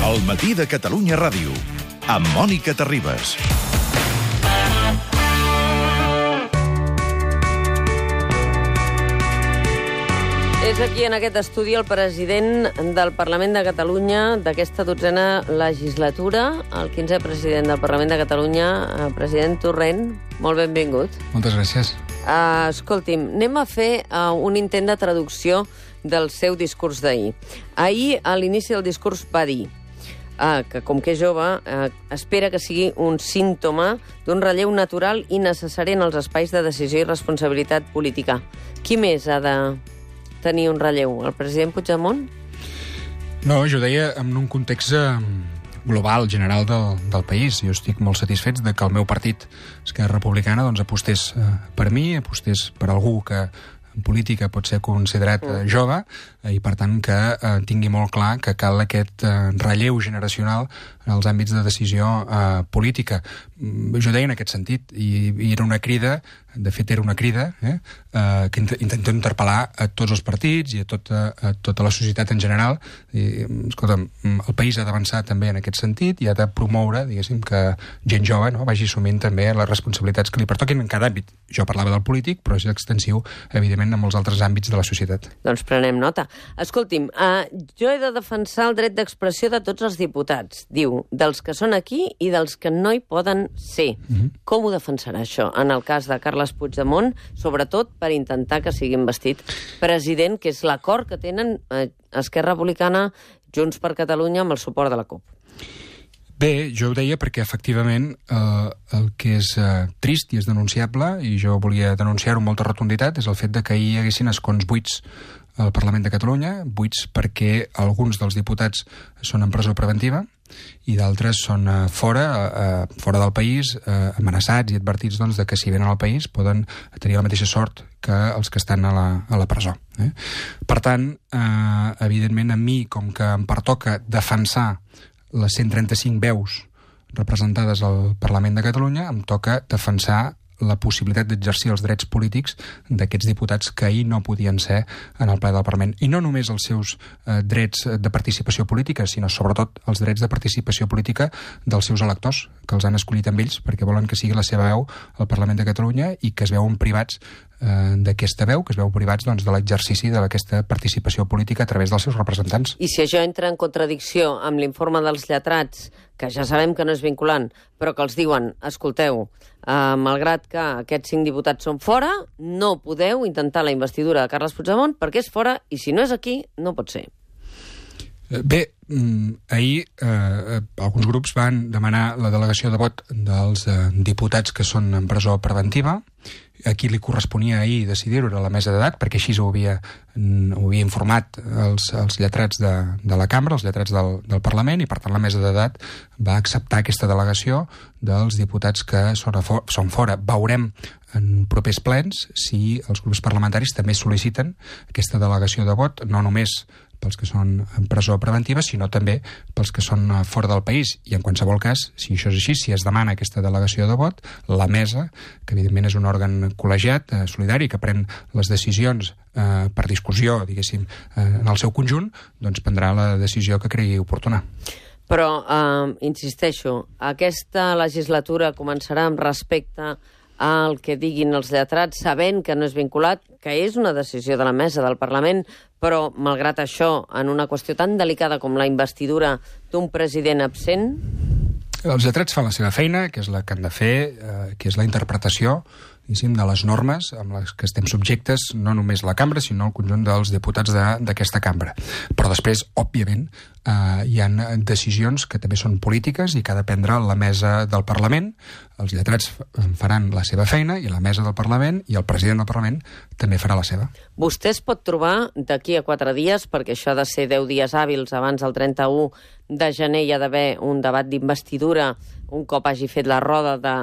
El matí de Catalunya Ràdio, amb Mònica Terribas. És aquí, en aquest estudi, el president del Parlament de Catalunya d'aquesta 12a legislatura, el 15è president del Parlament de Catalunya, president Torrent. Molt benvingut. Moltes gràcies. Escolti'm, anem a fer un intent de traducció del seu discurs d'ahir. Ahir, a l'inici del discurs, va dir que, com que és jove, espera que sigui un símptoma d'un relleu natural i necessari en els espais de decisió i responsabilitat política. Qui més ha de tenir un relleu? El president Puigdemont? No, jo deia en un context global, general del país. Jo estic molt satisfet de que el meu partit, Esquerra Republicana, doncs, apostés per mi, apostés per algú que en política pot ser considerat jove, i per tant que tingui molt clar que cal aquest relleu generacional en els àmbits de decisió política. Jo deia en aquest sentit, i era una crida, de fet era una crida, que intento interpel·lar a tots els partits i a tota la societat en general. Escolta'm, el país ha d'avançar també en aquest sentit i ha de promoure, diguéssim, que gent jove vagi assumint també les responsabilitats que li pertoquin en cada àmbit. Jo parlava del polític, però és extensiu, evidentment, a molts altres àmbits de la societat. Doncs prenem nota. Escolti'm, jo he de defensar el dret d'expressió de tots els diputats, diu, dels que són aquí i dels que no hi poden ser. Com ho defensarà això en el cas de Carles Puigdemont, sobretot per intentar que sigui investit president, que és l'acord que tenen Esquerra Republicana, Junts per Catalunya, amb el suport de la CUP? Bé, jo ho deia perquè, efectivament, el que és trist i és denunciable, i jo volia denunciar-ho amb molta rotunditat, és el fet de que hi haguessin escons buits al Parlament de Catalunya, buits perquè alguns dels diputats són en presó preventiva i d'altres són fora del país, amenaçats i advertits doncs, de que si venen al país poden tenir la mateixa sort que els que estan a la presó. Per tant, evidentment, a mi, com que em pertoca defensar les 135 veus representades al Parlament de Catalunya, em toca defensar la possibilitat d'exercir els drets polítics d'aquests diputats que ahir no podien ser en el ple del Parlament. I no només els seus drets de participació política, sinó sobretot els drets de participació política dels seus electors, que els han escollit amb ells perquè volen que sigui la seva veu al Parlament de Catalunya i que es veuen privats d'aquesta veu, que es veu privats doncs, de l'exercici d'aquesta participació política a través dels seus representants. I si això entra en contradicció amb l'informe dels lletrats, que ja sabem que no és vinculant, però que els diuen, escolteu, malgrat que aquests 5 diputats són fora, no podeu intentar la investidura de Carles Puigdemont perquè és fora i si no és aquí, no pot ser. Bé, ahir alguns grups van demanar la delegació de vot dels diputats que són en presó preventiva. A qui li corresponia ahir decidir-ho era la mesa d'edat, perquè així ho havia informat els lletrats de la cambra, els lletrats del Parlament, i per tant la mesa d'edat va acceptar aquesta delegació dels diputats que són fora. Veurem en propers plens si els grups parlamentaris també sol·liciten aquesta delegació de vot, no només pels que són en presó preventiva, sinó també pels que són fora del país. I en qualsevol cas, si això és així, si es demana aquesta delegació de vot, la mesa, que evidentment és un òrgan col·legiat, solidari, que pren les decisions per discussió, diguéssim, en el seu conjunt, doncs prendrà la decisió que cregui oportuna. Però, insisteixo, aquesta legislatura començarà amb respecte al que diguin els lletrats, sabent que no és vinculat, que és una decisió de la mesa del Parlament, però, malgrat això, en una qüestió tan delicada com la investidura d'un president absent? Els lletrats fan la seva feina, que és la que han de fer, que és la interpretació de les normes amb les que estem subjectes, no només la cambra, sinó el conjunt dels diputats d'aquesta cambra. Però després, òbviament, hi ha decisions que també són polítiques i que ha de prendre la mesa del Parlament. Els lletrats faran la seva feina i la mesa del Parlament i el president del Parlament també farà la seva. Vostè es pot trobar d'aquí a 4 dies, perquè això ha de ser 10 dies hàbils abans del 31 de gener hi ha d'haver un debat d'investidura un cop hagi fet la roda de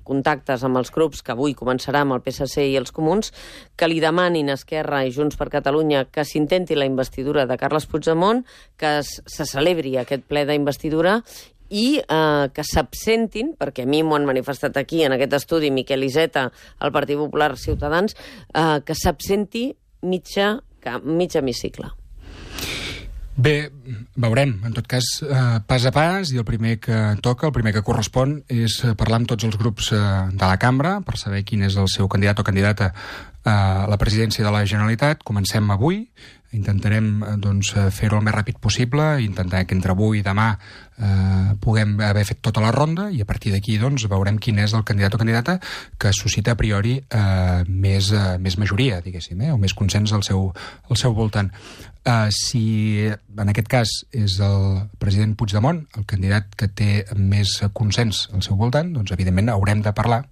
contactes amb els grups, que avui començarà amb el PSC i els Comuns, que li demanin a Esquerra i Junts per Catalunya que s'intenti la investidura de Carles Puigdemont, que se celebri aquest ple d'investidura i que s'absentin, perquè a mi m'ho han manifestat aquí, en aquest estudi, Miquel Iceta, el Partit Popular, Ciutadans, que s'absenti mig hemicicle. Bé, veurem. En tot cas, pas a pas, i el primer que toca, el primer que correspon, és parlar amb tots els grups de la cambra per saber quin és el seu candidat o candidata a la presidència de la Generalitat. Comencem avui. Intentarem fer-ho el més ràpid possible, intentar que entre avui i demà puguem haver fet tota la ronda, i a partir d'aquí veurem quin és el candidat o candidata que suscita a priori més majoria, diguéssim, o més consens al seu voltant. Si en aquest cas és el president Puigdemont el candidat que té més consens al seu voltant, doncs evidentment haurem de parlar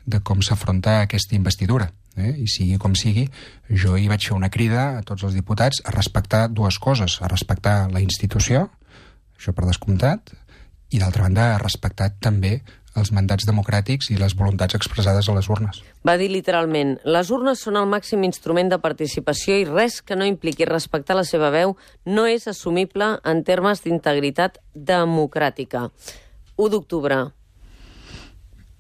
de com s'afronta aquesta investidura. I sigui com sigui, jo hi vaig fer una crida a tots els diputats a respectar dues coses: a respectar la institució, això per descomptat, i d'altra banda a respectar també els mandats democràtics i les voluntats expressades a les urnes. Va dir literalment: les urnes són el màxim instrument de participació i res que no impliqui respectar la seva veu no és assumible en termes d'integritat democràtica. 1 d'octubre.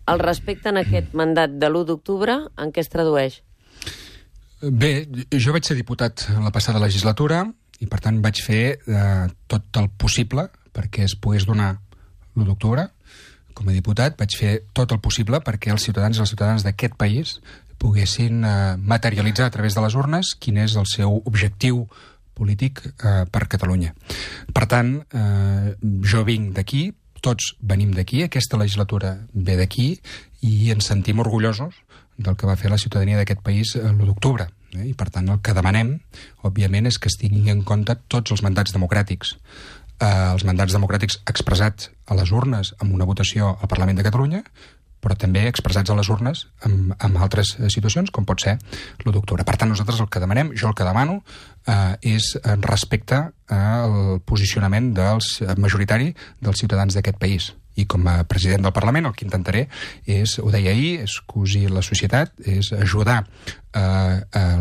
El respecte en aquest mandat de l'1 d'octubre, en què es tradueix? Bé, jo vaig ser diputat en la passada legislatura i, per tant, vaig fer tot el possible perquè es pogués donar l'1 d'octubre. Com a diputat vaig fer tot el possible perquè els ciutadans i les ciutadanes d'aquest país poguessin materialitzar a través de les urnes quin és el seu objectiu polític per Catalunya. Per tant, jo vinc d'aquí, tots venim d'aquí, aquesta legislatura ve d'aquí, i ens sentim orgullosos del que va fer la ciutadania d'aquest país l'1 d'octubre. I per tant el que demanem, òbviament, és que es tinguin en compte tots els mandats democràtics. Els mandats democràtics expressats a les urnes amb una votació al Parlament de Catalunya, però també expressats a les urnes en altres situacions, com pot ser l'1 d'octubre. Per tant, nosaltres el que demanem, jo el que demano, és respecte al posicionament majoritari dels ciutadans d'aquest país. I com a president del Parlament el que intentaré és, ho deia ahir, és cosir la societat, és ajudar a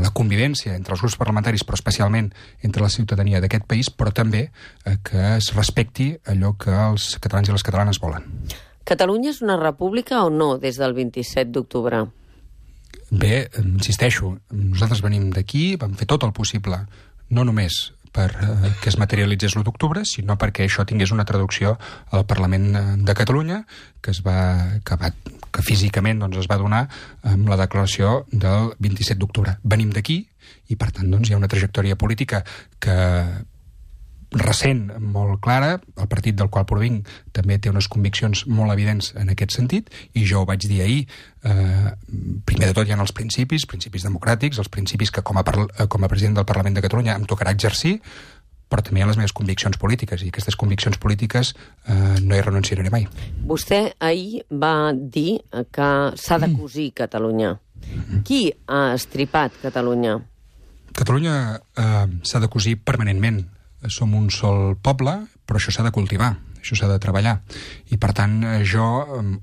la convivència entre els grups parlamentaris, però especialment entre la ciutadania d'aquest país, però també que es respecti allò que els catalans i les catalanes volen. Catalunya és una república o no des del 27 d'octubre? Bé, insisteixo, nosaltres venim d'aquí, vam fer tot el possible, no només per que es materialitzés l'1 d'octubre, sinó perquè això tingués una traducció al Parlament de Catalunya, que físicament es va donar amb la declaració del 27 d'octubre. Venim d'aquí i, per tant, hi ha una trajectòria política que recent, molt clara. El partit del qual provinc també té unes conviccions molt evidents en aquest sentit, i jo ho vaig dir ahir. Primer de tot hi ha els principis democràtics, els principis que com a president del Parlament de Catalunya em tocarà exercir, però també hi ha les meves conviccions polítiques, i aquestes conviccions polítiques no hi renunciaré mai. Vostè ahir va dir que s'ha de cosir Catalunya. Qui ha estripat Catalunya? Catalunya s'ha de cosir permanentment. Som un sol poble, però això s'ha de cultivar, això s'ha de treballar. I, per tant, jo,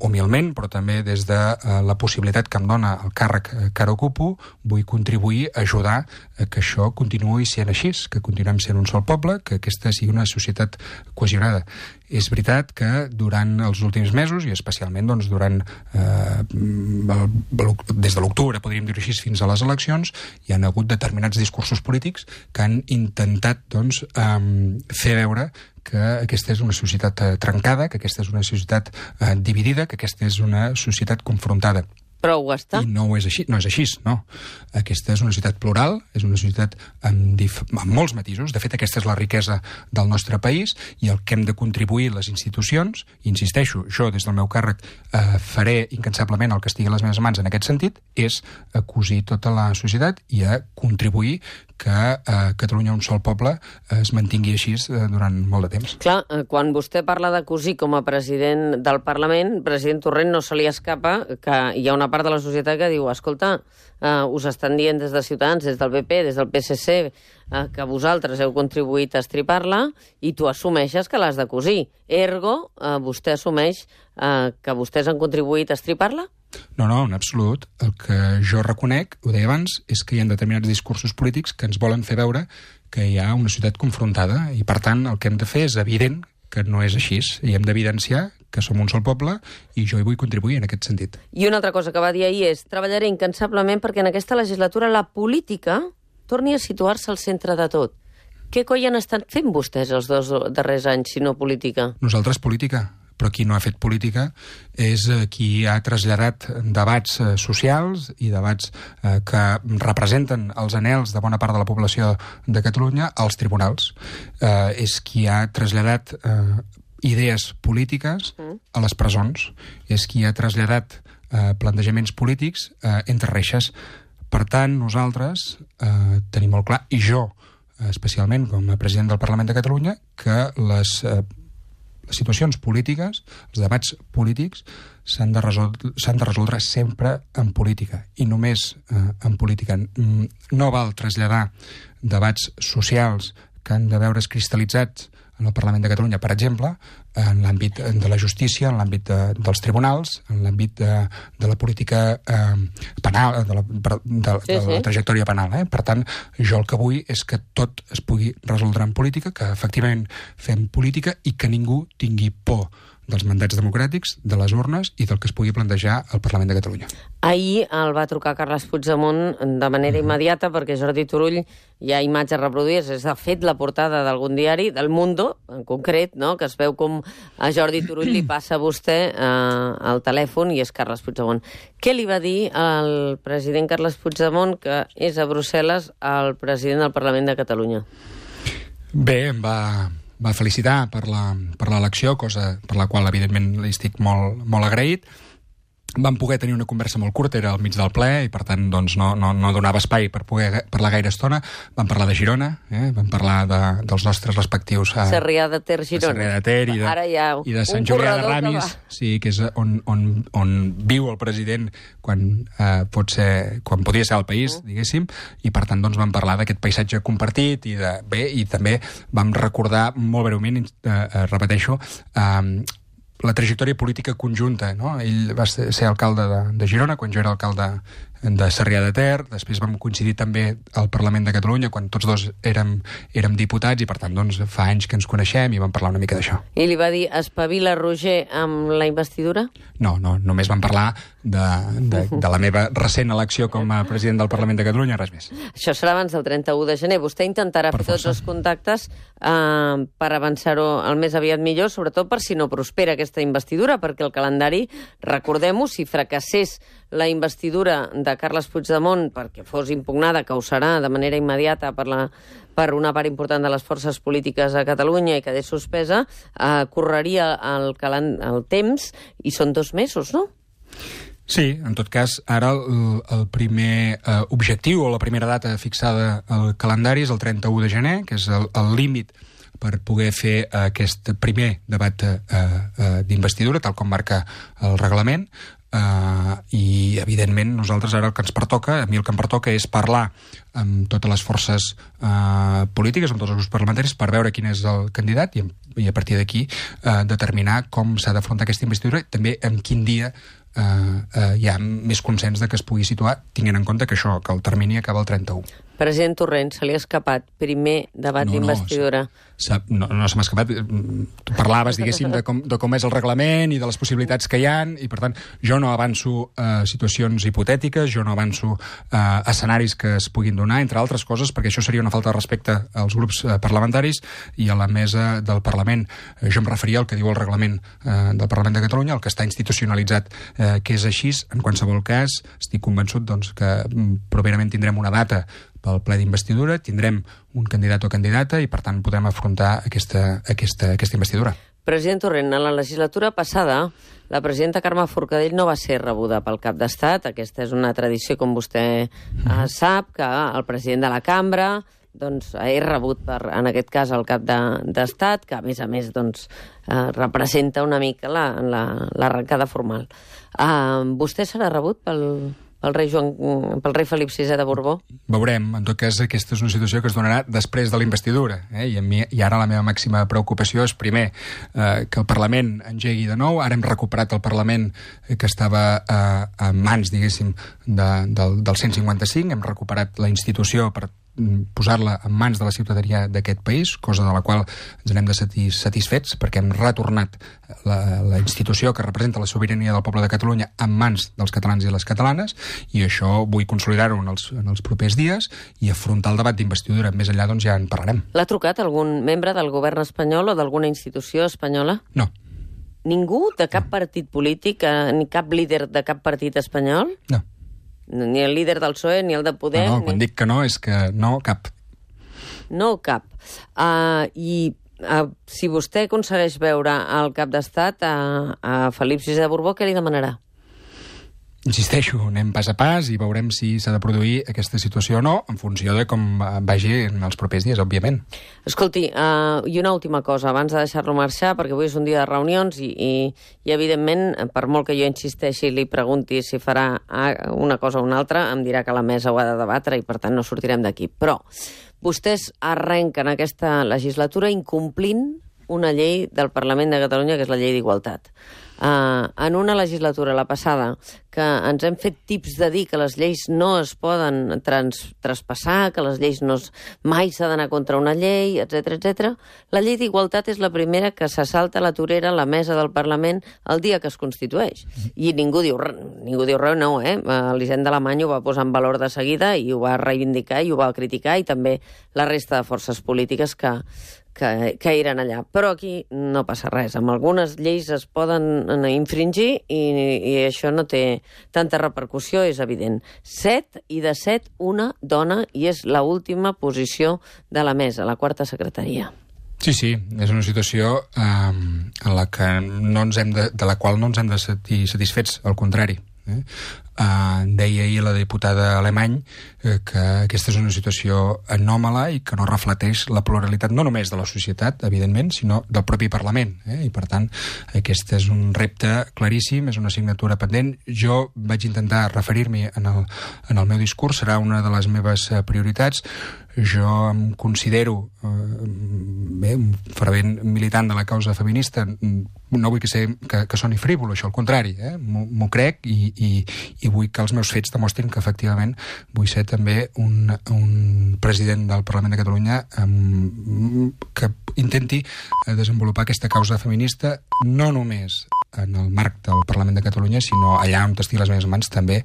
humilment, però també des de la possibilitat que em dona el càrrec que ara ocupo, vull contribuir a ajudar a que això continuï sent així, que continuem sent un sol poble, que aquesta sigui una societat cohesionada. És veritat que durant els últims mesos, i especialment durant des de l'octubre, podríem dir així, fins a les eleccions, hi han hagut determinats discursos polítics que han intentat fer veure que aquesta és una societat trencada, que aquesta és una societat dividida, que aquesta és una societat confrontada. Però ho està. I no és així, no. Aquesta és una societat plural, és una societat amb molts matisos. De fet, aquesta és la riquesa del nostre país, i el que hem de contribuir les institucions, i insisteixo, jo des del meu càrrec faré incansablement el que estigui a les meves mans en aquest sentit, és a cosir tota la societat i a contribuir que Catalunya, un sol poble, es mantingui així durant molt de temps. Clar, quan vostè parla de cosir com a president del Parlament, president Torrent, no se li escapa que hi ha una part de la societat que diu: escolta, us estan dient des de Ciutadans, des del PP, des del PSC, que vosaltres heu contribuït a estripar-la, i tu assumeixes que l'has de cosir. Ergo, vostè assumeix que vostès han contribuït a estripar-la? No, en absolut. El que jo reconec, ho deia abans, és que hi ha determinats discursos polítics que ens volen fer veure que hi ha una societat confrontada, i per tant el que hem de fer és evident que no és així, i hem d'evidenciar que som un sol poble, i jo hi vull contribuir en aquest sentit. I una altra cosa que va dir ahir és: treballaré incansablement perquè en aquesta legislatura la política torni a situar-se al centre de tot. Què coi han estat fent vostès els 2 darrers anys, si no política? Nosaltres política, però qui no ha fet política és qui ha traslladat debats socials i debats que representen els anhels de bona part de la població de Catalunya als tribunals. És qui ha traslladat idees polítiques a les presons, és qui ha traslladat plantejaments polítics entre reixes. Per tant, nosaltres tenim molt clar, i jo especialment com a president del Parlament de Catalunya, que les situacions polítiques, els debats polítics, s'han de resoldre sempre en política, i només en política. No val traslladar debats socials que han de veure's cristal·litzats en el Parlament de Catalunya, per exemple, en l'àmbit de la justícia, en l'àmbit dels tribunals, en l'àmbit de la política penal, de la trajectòria penal. Per tant, jo el que vull és que tot es pugui resoldre en política, que efectivament fem política i que ningú tingui por dels mandats democràtics, de les urnes i del que es pugui plantejar al Parlament de Catalunya. Ahir el va trucar Carles Puigdemont de manera immediata perquè Jordi Turull, hi ha imatges reproduïdes, és de fet la portada d'algun diari, del Mundo, en concret, no?, que es veu com a Jordi Turull li passa a vostè el telèfon i és Carles Puigdemont. Què li va dir el president Carles Puigdemont, que és a Brussel·les, al president del Parlament de Catalunya? Bé, em va felicitar per l'elecció, cosa per la qual, evidentment, li estic molt agraït. Vam poder tenir una conversa molt curta, era al mig del ple, i per tant doncs, no donava espai per poder parlar gaire estona. Vam parlar de Girona, vam parlar dels nostres respectius... Sarrià de Ter, Girona. Sarrià de Ter i de Sant Julià de Ramis, sí, que és on viu el president quan podria ser al país, diguéssim, i per tant doncs, vam parlar d'aquest paisatge compartit i també vam recordar molt breument, repeteixo, la trajectòria política conjunta, no? Ell va ser alcalde de Girona quan jo era alcalde de Sarrià de Ter, després vam coincidir també al Parlament de Catalunya quan tots dos érem diputats i per tant doncs, fa anys que ens coneixem i vam parlar una mica d'això. I li va dir, espavila Roger amb la investidura? No, només vam parlar de la meva recent elecció com a president del Parlament de Catalunya, res més. Això serà abans del 31 de gener. Vostè intentarà fer tots els contactes per avançar-ho el més aviat millor, sobretot per si no prospera aquesta investidura, perquè el calendari, recordem-ho, si fracassés la investidura de Carles Puigdemont perquè fos impugnada, que ho serà de manera immediata per una part important de les forces polítiques a Catalunya i quedés suspesa, correria el temps i són 2 mesos, no? Sí, en tot cas, ara el primer objectiu o la primera data fixada al calendari és el 31 de gener, que és el límit per poder fer aquest primer debat d'investidura, tal com marca el reglament, i evidentment nosaltres ara el que ens pertoca, a mi el que em pertoca és parlar amb totes les forces polítiques, amb tots els grups parlamentaris, per veure quin és el candidat i a partir d'aquí determinar com s'ha d'afrontar aquesta investidura i també en quin dia hi ha més consens de que es pugui situar, tinguent en compte que el termini acaba el 31. President Torrent, se li ha escapat primer debat d'investidura. No se m'ha escapat. Tu parlaves, diguéssim, de com és el reglament i de les possibilitats que hi ha, i per tant jo no avanço situacions hipotètiques, jo no avanço escenaris que es puguin donar, entre altres coses, perquè això seria una falta de respecte als grups parlamentaris i a la mesa del Parlament. Jo em referia al que diu el reglament del Parlament de Catalunya, el que està institucionalitzat, que és així. En qualsevol cas, estic convençut doncs, que properament tindrem una data pel ple d'investidura, tindrem un candidat o candidata i, per tant, podrem afrontar aquesta investidura. President Torrent, en la legislatura passada, la presidenta Carme Forcadell no va ser rebuda pel cap d'Estat. Aquesta és una tradició, com vostè sap, que el president de la cambra doncs, és rebut en aquest cas el cap d'Estat, que a més doncs, representa una mica l'arrencada formal. Vostè serà rebut pel rei Felip VI de Borbó? Veurem. En tot cas, aquesta és una situació que es donarà després de la investidura. I ara la meva màxima preocupació és, primer, que el Parlament engegui de nou. Ara hem recuperat el Parlament que estava en mans, diguéssim, del 155. Hem recuperat la institució per posar-la en mans de la ciutadania d'aquest país, cosa de la qual ens n'hem de sentir satisfets, perquè hem retornat la institució que representa la sobirania del poble de Catalunya en mans dels catalans i les catalanes, i això vull consolidar-ho en els propers dies i afrontar el debat d'investidura. Més enllà, doncs, ja en parlarem. L'ha trucat algun membre del govern espanyol o d'alguna institució espanyola? No. Ningú de cap partit polític, ni cap líder de cap partit espanyol? No. Ni el líder del PSOE, ni el de Podem? No, quan dic que no, és que no, cap. No, cap. Si vostè aconsegueix veure el cap d'estat a Felip VI de Borbó, què li demanarà? Insisteixo, anem pas a pas i veurem si s'ha de produir aquesta situació o no, en funció de com vagi en els propers dies, òbviament. Escolti, i una última cosa, abans de deixar-lo marxar, perquè avui és un dia de reunions i evidentment, per molt que jo insisteixi i li pregunti si farà una cosa o una altra, em dirà que la mesa ho ha de debatre i, per tant, no sortirem d'aquí. Però vostès arrenquen aquesta legislatura incomplint una llei del Parlament de Catalunya, que és la llei d'Igualtat. En una legislatura, la passada, que ens hem fet tips de dir que les lleis no es poden traspassar, que les lleis mai s'ha d'anar contra una llei, etc. La llei d'Igualtat és la primera que se salta a la torera a la mesa del Parlament el dia que es constitueix. I ningú diu res, no, l'Hisenda Alemany ho va posar en valor de seguida i ho va reivindicar i ho va criticar, i també la resta de forces polítiques que eren allà. Però aquí no passa res. Amb algunes lleis es poden infringir i això no té tanta repercussió, és evident. 7 i de 7 una dona, i és l'última posició de la mesa, la quarta secretaria. Sí, és una situació en la que de la qual no ens hem de sentir satisfets, al contrari. Deia ahir la diputada Alemany que aquesta és una situació anòmala i que no reflecteix la pluralitat no només de la societat, evidentment, sinó del propi Parlament, i per tant aquest és un repte claríssim, és una assignatura pendent. Jo vaig intentar referir-m'hi en el meu discurs, serà una de les meves prioritats. Jo em considero un fervent militant de la causa feminista. No vull que soni frívol, això, al contrari, m'ho crec i vull que els meus fets demostrin que efectivament vull ser també un president del Parlament de Catalunya que intenti desenvolupar aquesta causa feminista no només en el marc del Parlament de Catalunya, sinó allà on estigui les meves mans també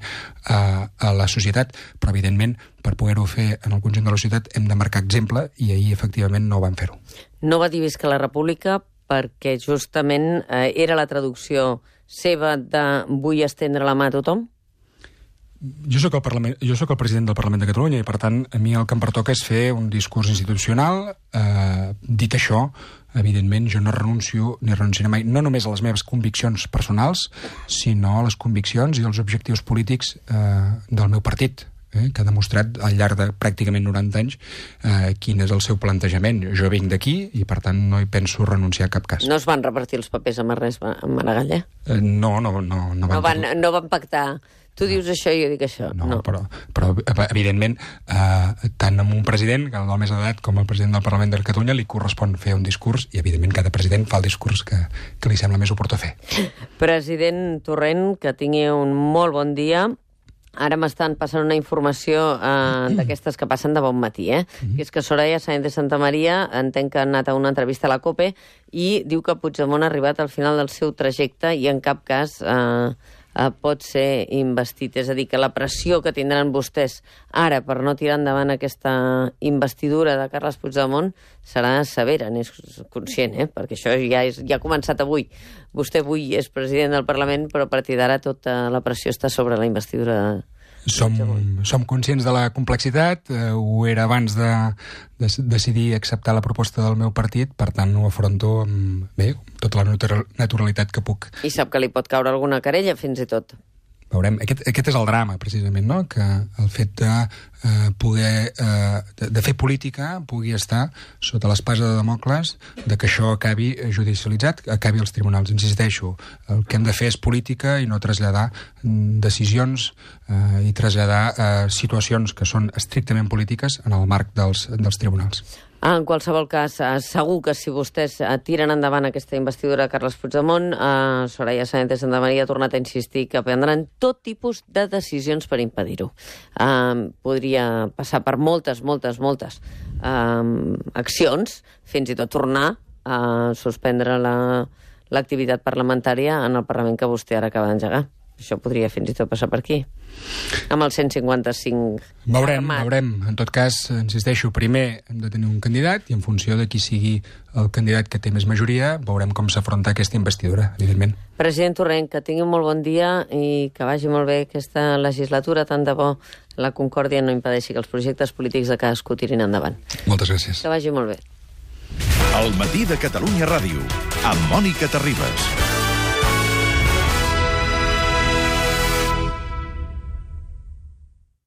a la societat. Però evidentment, per poder-ho fer en el conjunt de la societat hem de marcar exemple, i ahir efectivament no vam fer-ho. No va dir visca la República perquè justament era la traducció seva de vull estendre la mà a tothom? Jo soc el president del Parlament de Catalunya i, per tant, a mi el que em pertoca és fer un discurs institucional. Dit això, evidentment, jo no renuncio ni renunciaré mai, no només a les meves conviccions personals, sinó a les conviccions i als objectius polítics del meu partit, que ha demostrat al llarg de pràcticament 90 anys quin és el seu plantejament. Jo vinc d'aquí i, per tant, no hi penso renunciar a cap cas. No es van repartir els papers amb Maragall, No van pactar. Tu dius això i jo dic això. No. Però evidentment, tant amb un president, que el més edat, com el president del Parlament de Catalunya, li correspon fer un discurs, i evidentment cada president fa el discurs que li sembla més oportú fer. President Torrent, que tingui un molt bon dia. Ara m'estan passant una informació d'aquestes que passen de bon matí, que és que Soraya Sáenz de Santamaría, entenc que ha anat a una entrevista a la COPE, i diu que Puigdemont ha arribat al final del seu trajecte i en cap cas pot ser investit. És a dir, que la pressió que tindran vostès ara per no tirar endavant aquesta investidura de Carles Puigdemont serà severa, n'és conscient, perquè això ja ha començat avui. Vostè avui és president del Parlament, però a partir d'ara tota la pressió està sobre la investidura de Som conscients de la complexitat, ho era abans de decidir acceptar la proposta del meu partit, per tant ho afronto amb tota la naturalitat que puc. I sap que li pot caure alguna querella, fins i tot. Veurem. Aquest és el drama, precisament, no? Que el fet de poder de fer política pugui estar sota l'espasa de Damocles, de que això acabi judicialitzat, acabi als tribunals. Insisteixo, el que hem de fer és política i no traslladar decisions i traslladar situacions que són estrictament polítiques en el marc dels tribunals. En qualsevol cas, segur que si vostès tiren endavant aquesta investidura de Carles Puigdemont, Soraya Sáenz de Santamaría ha tornat a insistir que prendran tot tipus de decisions per impedir-ho. Podria passar per moltes accions, fins i tot tornar a suspendre l'activitat parlamentària en el Parlament que vostè ara acaba d'engegar. Això podria fins i tot passar per aquí. Amb el 155 Veurem. armat. En tot cas, insisteixo, primer hem de tenir un candidat i en funció de qui sigui el candidat que té més majoria, veurem com s'afronta aquesta investidura, evidentment. President Torrent, que tingui un molt bon dia i que vagi molt bé aquesta legislatura. Tant de bo la concòrdia no impedeixi que els projectes polítics de cadascú tirin endavant. Moltes gràcies. Que vagi molt bé. El matí de Catalunya Ràdio, amb Mònica Terribas.